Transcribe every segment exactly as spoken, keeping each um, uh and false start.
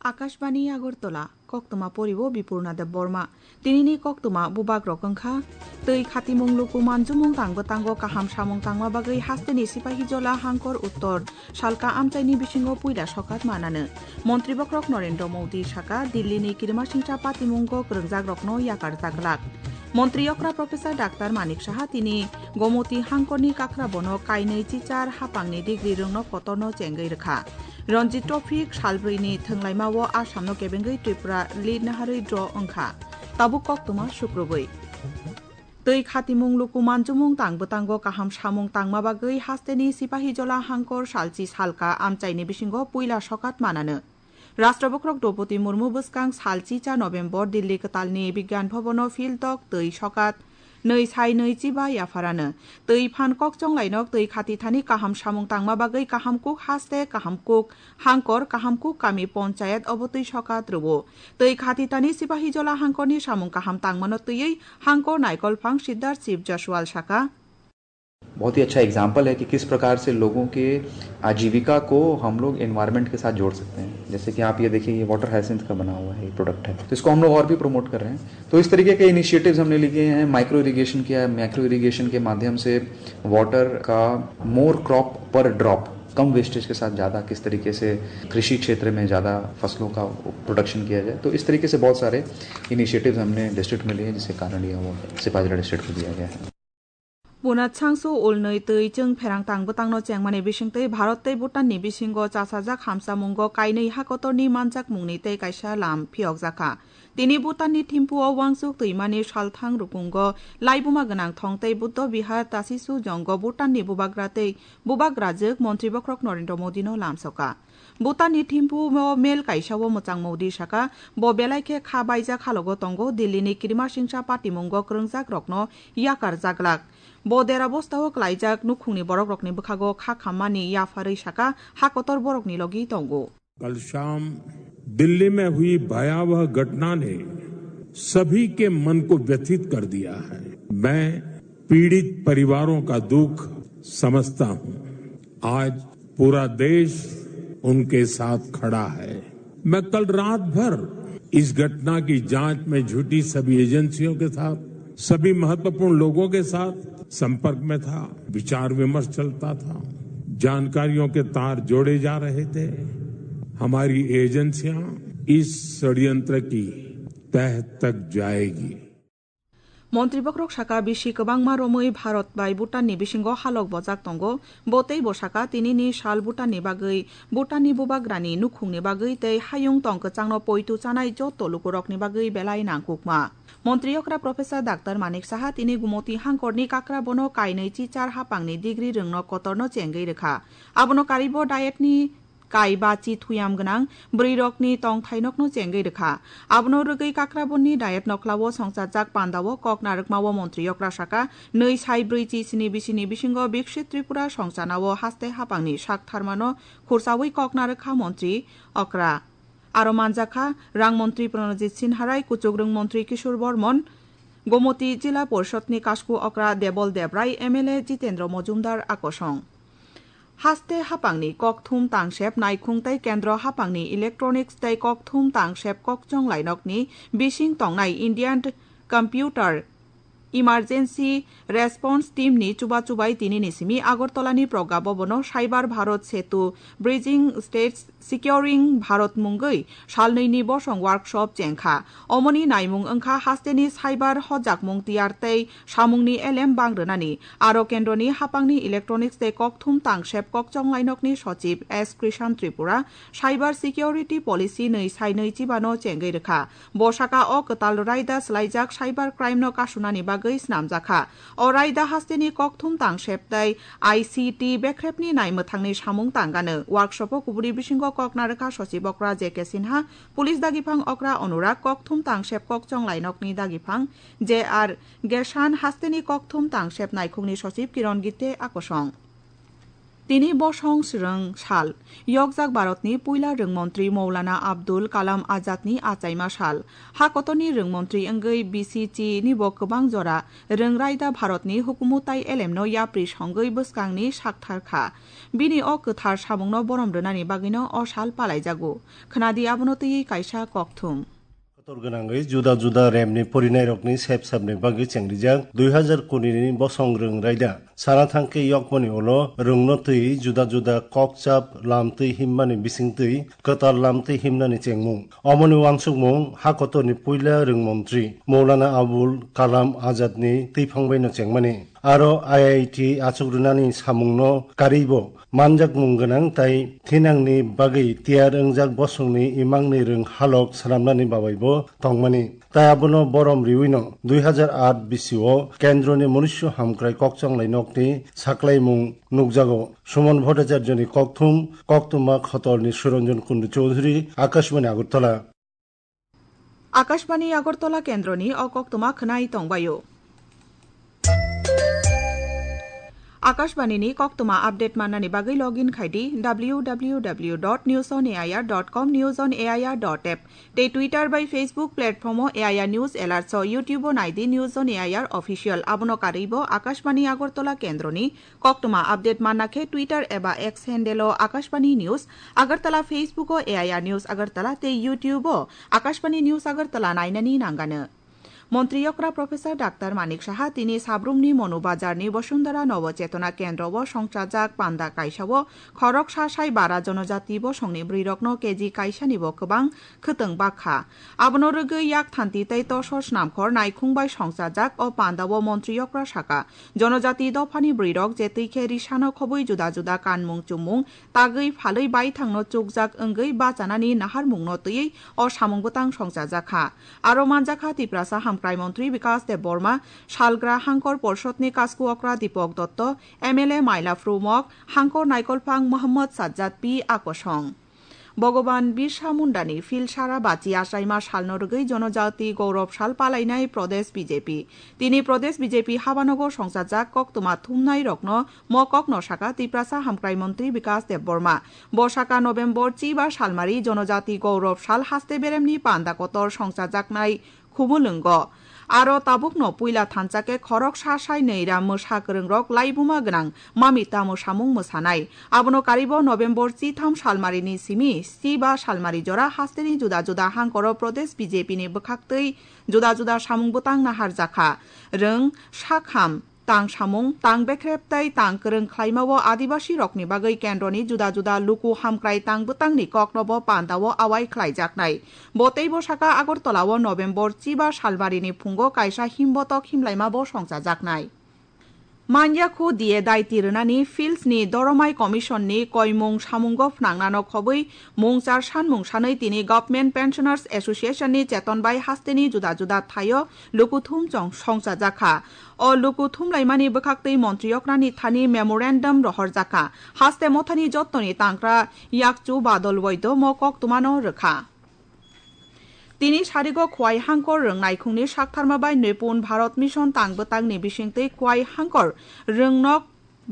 Akashbani Agartala, koktwma poribo Bipurna Debbarma. Tinini koktwma bubagrok wngkha: twi khatimung luku manjumung tang bwtango kaham samung tangma bagwi hasteni Sipahijola Hangkor Uttor Salka amchaini bisingo puila sokat mananw. Montri bokhorok Narendra Modi saka Dillini kirimasingcha patimungo kwrwngjakrokno yakar jaglak. Montri okra Professor Doctor Manik Saha tini Gomoti Hangkorni kakrabono kainwi chichar hapangni degree rwngno kotorno chengwi rwkha. Ranji Trophy salbrwini thwnglaimao Assamno kebengwi Tripura lead naharwi draw wngkha. Tabuk koktwma sukrubwi. Twi khatimung luku manjumung tang bwtango kaham samung tangma bagwi hasteni Sipahijola Hangkor Salchi Salka amchaini bisingo puila sokat mananw. Rashtra bokhorok Droupadi Murmu bwskang salchi cha November Delhi kwtalni Bigyan Bhabono Phil Tok twi sokat nwi sai nwi chiba yapharano. Twi phan kokchong lainok twi khati thani kaham samung tangma bagwi kaham kuk haste, kaham kuk hangkor, kaham kuk kami ponchayat obo twi sokat rwo. Twi khati thani Sipahijola Hangkorni samung kaham tangmano twiwi Hangkor Naikolphang Siddharth Shiv Jaswal saka. बहुत ही अच्छा एग्जाम्पल है कि किस प्रकार से लोगों के आजीविका को हम लोग एनवायरनमेंट के साथ जोड़ सकते हैं। जैसे कि आप ये देखिए, ये वाटर हायसिंथ का बना हुआ है, ये प्रोडक्ट है, तो इसको हम लोग और भी प्रमोट कर रहे हैं। तो इस तरीके के इनिशिएटिव्स हमने लिए हैं, माइक्रो इरिगेशन किया है, माइक्रो इरिगेशन के माध्यम से वाटर का मोर क्रॉप पर ड्रॉप, कम वेस्टेज के साथ ज़्यादा किस तरीके से कृषि क्षेत्र में ज़्यादा फसलों का प्रोडक्शन किया जाए। तो इस तरीके से बहुत सारे इनिशिएटिव्स हमने डिस्ट्रिक्ट में लिए हैं, जिसके कारण ये अवार्ड सिपाहीजला डिस्ट्रिक्ट को दिया गया है। Bunat sangsu ulnwi twi chwng pherang tang bwtangno chengmani bisingtwi Bharat tei Bhutanni bisingo chasajak hamsamungo kainwi hakotorni manjakmungni tei kaisa lam phiyokjakha. Tini Bhutanni Thimphu-o uansuk twimani salthang rukungo laibuma gwnang thong tei Buddha Vihar Tasisu Jongo Bhutanni bubagra tei bubagrajwk Montri bokhorok Narendra Modino lamsoka. Bhutanni Thimphu-o mel kaisa-o mwchang Modi saka, bo belai khe kha baijak halogo tongo, Dillini kirimasingcha patimungo kwrwngjakrokno yakar jaglak. Bo dera bostao klaijak nukhungni borokrokni bwkhago kha khammani yapharwi saka, hakotor borokni logi tongo. कल शाम दिल्ली में हुई भयावह घटना ने सभी के मन को व्यथित कर दिया है। मैं पीड़ित परिवारों का दुख समझता हूं। आज पूरा देश उनके साथ खड़ा है। मैं कल रात भर इस घटना की जांच में जुटी सभी एजेंसियों के साथ, सभी महत्वपूर्ण लोगों के साथ संपर्क में था, विचार विमर्श चलता था, जानकारियों के तार जोड़े जा रहे थे। हमारी एजेंसियां इस षड्यंत्र की तह तक जाएगी। Montri bokhorok saka, bisi kwbangma romwi Bharat bai Bhutanni bisingo halok bojak tongo. Bo tei bo saka, tinini sal Bhutanni bagwi, Bhutanni bubagrani nukhungni bagwi tei hayung tong kwchangno poitu chanai joto lukurokni bagwi belai nangkukma. Montri okra Professor Doctor Manik Saha tini Gumoti hangkorni kakra bono kainwi chichar hapangni degree rwngno kotorno chengwi rwkha. Abono karibo dietni kai bachi thuyam gwnang bwrwirokni tongthainokno chengwi rwkha. Abono rwgwi kakrabonni diet nokhlao songchajak pandao kok narwkmao montri okra saka, nwi sai brwi chi sni bisini bisingo Biksit Tripura songchanao haste hapangni sak tharmano khursawi kok narwkha montri okra. Aro manjakha rang montri Pranajit Sinharai, kuchukrwng montri Kishore Bormon, Gomoti Jila Porishadni kasku okra Debol Debrai, M L A Jitendra Mojumdar akosong. Haste hapangni kokthum tangsep naikhung tei kendro hapangni electronics tei kokthum tangsep kokchong lainokni bising tongnai Indian Computer Emergency Response Team ni chuba chubai tinini simi Agartala ni Pragya Bhavan o Cyber Bharat Setu Bridging States Securing Bharat mungwi salnwi ni bosong workshop chengkha. Omoni naimung wngkha hasteni cyber hojakmung tiyar tei samungni elem bang rwnani. Aro kendroni hapangni electronics tei kokthum tangsep kokchong lainokni sochib S Krishan Tripura cyber security policy nwi sai nwi chibano chengwi rwkha. Bo saka o kwtal raida swlaijak cyber crime no kasunani bagwi snamjakha. O raida hasteni kokthum tangsep tei I C T bekrepni naimwthangni samung tangano. Workshop o kuburi bisingo kok narwkha sochib okra J K Sinha, police dagiphang okra Anurag, kokthum tangsep kokchong lainokni dagiphang J R Gesan, hasteni kokthum tangsep naikhungni sochib Kiron Gitte akosong. Tini bosong swrwng sal, yokjak Bharatni puila rwngmontri Maulana Abdul Kalam Azadni achaima sal. Ha kotorni rwngmontri wngwi B C C ni bo kwbang jora rwng raida Bharatni hukumu tai elemno yapri songwi bwskangni sakthar kha. Bini o kwthar samungno borom rwnani bagwino o sal palaijago. Khwnadi abono twiwi kaisa kokthum. Kotor gwnangwi juda juda remni porinairokni sep sepni bagwi chengrijak dui hazar kuni ni bosong rwng raida. Sana thangkhe yokmoni ulo rwngno twi juda juda kokchap lamtwi himmani bisingtwi kwtal lamtwi himnani chengmung. Omoni wansukmung ha kotorni puila rwngmontri Maulana Abul Kalam Azadni twiphang baino chengmani. Aro I I T achuk rwnani samungno karwibo manjakmung gwnang tai thinangni bagwi tiyar wngjak bosongni imangni rwng halok swnamnani babaibo tongmani. Tai abono borom riwino dui hazar aat bisio kendroni munisyo hamkrai kokchonglai nokni saklaimung nukjago. Suman Bhattacharjoni kokthum, koktwma Khotolni Suranjan Kundu Chowdhury, Akashbani Agartala. Akashbani Agartala kendroni o koktwma khwnai tongbaio. Akashbani ni koktwma update mannani bagwi login khai di W W W dot news on A I R dot com, news on A I R dot app. Tei Twitter bai Facebook platform o A I R News Alerts o, YouTube o nai di News on A I R Official. Abono karwi bo Akashbani Agartala kendroni koktwma update manna khe Twitter eba X handle o Akashbani News Agartala, Facebook o A I R News Agartala tei YouTube o Akashbani News Agartala nainani nangano. Montri yokra Professor Doctor Manik Saha tini Sabrumni Monu Bazarni Bosundara Nobo Chetona Kendro o songchajak panda kaisa o khoroksa sai bara jonojati bosongni bwrwirokno K G kaisani bo kwbang khwtwng bakha. Abono rwgwi yak thanti tei tosor snamkhor naikhung bai songchajak o panda o montri yokra saka, jonojati dophani bwrwirok je twi khe risano khobwi juda juda kanmung chumung tagwi phalwi baithangno chukjak wngwi bachanani naharmungno twiwi o samung bwtang songchajak kha. Aro manjakha Tiprasa Hamkrai Montri Bikas Debbarma, Salgra Hangkor Porshotni Kasku Okra Dipak Dotto, M L A Maila Phrumok, Hangkor Naikolphang Mohammad Sajjad P. Akosong. Bhogoban Birsa Mundani phil sara bachi achaima salno rwgwi Jonojati Gourab Sal palainai Pradesh B J P. Tini Pradesh B J P habanogo songchajak koktwma thumnai rokno mo kokno saka Tiprasa Hamkrai Montri Bikas Debbarma. Bo saka November chiba salmari Jonojati Gourab Sal haste beremni panda kotor songchajaknai Khumulwngo. Aro tabukno puila thansa khe khoroksa sai nwi ra mwsa kwrwngrok laibuma gwnang mami tamo samung mwsanai. Abono karibo November chitham salmarini simi chiba salmari jora hasteni juda juda hangkoro Pradesh B J P ni bwkhaktwi juda juda samung bwtang naharjakha. Rwng, sakham, tang samung, tang bekrep tei tang kwrwng khlaimao Adibasi rokni bagwi kendroni juda juda luku hamkrai tang bwtangni koknobo pandao awai khlaijaknai. Bo teibo saka Agartala o November chiba salmarini phungo kaisa himbotok himlaimabo songchajaknai. Manyakhu D A daiti rwnani Fields ni Doromai Commission ni koimung samungo phnangnano khobwi mungchar sanmung sanwi tini Government Pensioners Association ni cheton bai hasteni juda juda thaio lukuthum chong songchajakha. O luku thumlaimani bwkhaktwi montri oknani thani memorandum rohorjakha. Haste mothani jottoni tangkra yakchu Badal Waido mo koktwmano rwkha. Tini sarigo Khwai Hangkor rwng naikhungni saktharma bai Nipun Bharat Mission tang bwtangni bisingtwi Khwai Hangkor rwngnok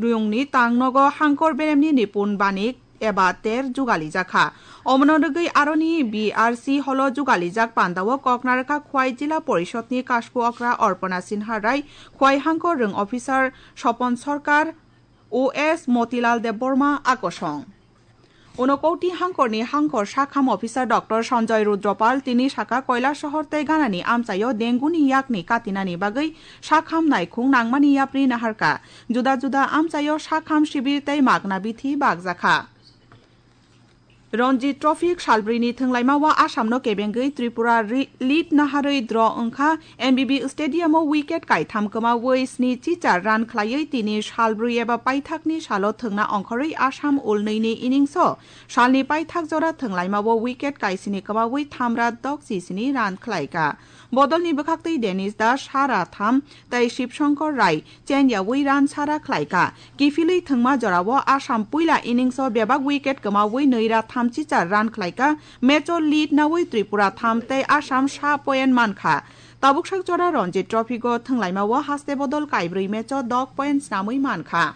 rwngni tangnogo Hangkor beremni Nipun Banik eba ter jugalijak kha. Omono rwgwi aroni B R C holo jugalijak pandao kok narwkha Khwai Jila Porishodni Kasku Okra Orpana Sinha Rai, Khwai Hangkor rwng officer Sopon Sarkar, O S Motilal Debbarma akosong. Unokoti Hangkorni Hangkor sakham officer Doctor Sanjoy Rudropal tini saka Koilasohor tei Ganani amchaio dengue-ni yakni katinani bagwi sakham naikhung nangmani yapri naharkha. Juda juda amchaio sakham sibir tei magna bithi bakjakha. Ranji Trophy salbrini thwnglaimao Assamno kebengwi Tripura ri-, lead naharwi draw wngkha. M B B Stadium-o wicket kaitham kwmawi sni chichar run khlaiwi tini salbrwi eba paithakni salo thwngna ongkhorwi Assam ulnwini innings-o salni paithak jora thwnglaimao wicket kaisini kwmawi thamra dok chisini run khlaikha. Bodolni bwkhaktwi Denish Das sara tham tei Shivshankar Rai chenyawi run sara khlaikha. Kiphilwi thwngma jorao Assam puila innings-o bebak wicket kwmawi nwi ra thamchi char run khlaikha. Match-o lead nawi Tripura tham tei Assam sa point mankha. Tabuksak jora Ranji Trophy-o thwnglaimao haste bodol kaibrwi match-o dok point snamwi mankha.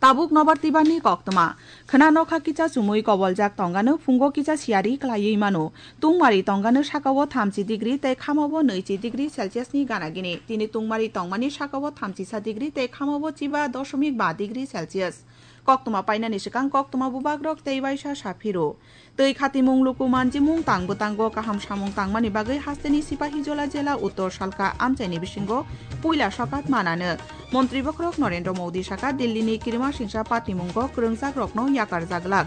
Tabuk nobar twibarni koktwma. Khwna nokha kisa chumui koboljak tongano phungo kisa siyari kwlaiwi mano. Tungmari tongano sakao thamchi degree tei khamao nwichi degree Celsius ni gana gini. Tini tungmari tongmani sakao thamchisa degree tei khamao chiba dosomik ba degree Celsius. Koktwma painani swkang koktwma bubagrok tei waisa saphiro. Twi khatimung luku manjimung tang bwtango kaham samung tangmani bagwi hasteni Sipahijola jela Uttor Salka amchaini bisingo puila sokat manano. Montri bokhorok Narendra Modi saka Dillini kirima singsa patimungo kwrwngjakrokno yakarjaglak.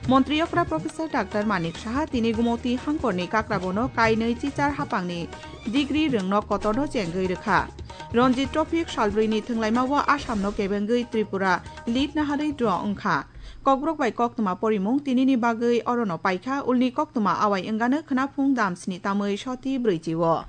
Montri okra Professor Doctor Manik Saha tini Gumoti hangkorni kakrabono kainwi chichar hapangni degree rwngno kotorno chengwi rwkha. Ranji Trophy salbrwini thwnglaimao Assamno kebengwi Tripura lead naharwi draw wngkha. Kokborok bai koktwma porimung tinini bagwi orono paikha, ulni koktwma awai wngano khwnaphung dam sni tamwi soti brwichi o.